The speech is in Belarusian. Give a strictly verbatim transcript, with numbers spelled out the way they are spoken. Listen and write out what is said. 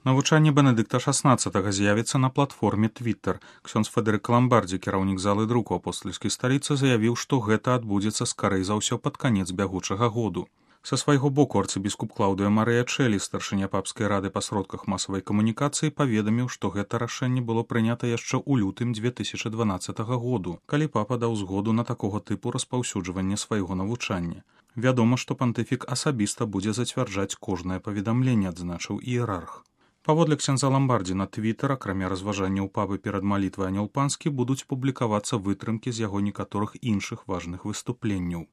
Навучанне Бенедыкта шаснаццатага з'явіцца на платформе Twitter. Ксёндз Федэрык Ламбардзі, кіраўнік залы друку апостальскай сталіцы, заявіў, што гэта адбудзецца скарэй за ўсё пад канец бягучага году. Са свайго боку арцыбіскуп Клаўдыя Марыя Чэлі, старшыня папскай рады па сродках масавай камунікацыі, паведаміў, што гэта рашэнне было прынята яшчэ ў лютым дзве тысячы дванаццатага году, калі папа даў згоду на такога тыпу распаўсюджванне свайго навучання. Вядома, што пантыфік асабіста будзе зацвярджаць кожнае паведамленне, адзначыў іерарх. Паводле ксяндза Ламбардзі на Твіттер, акрамя разважанняў папы перад малітвай анёл панскі, будуць публікавацца вытрымкі з яго некаторых іншых важных выступленняў.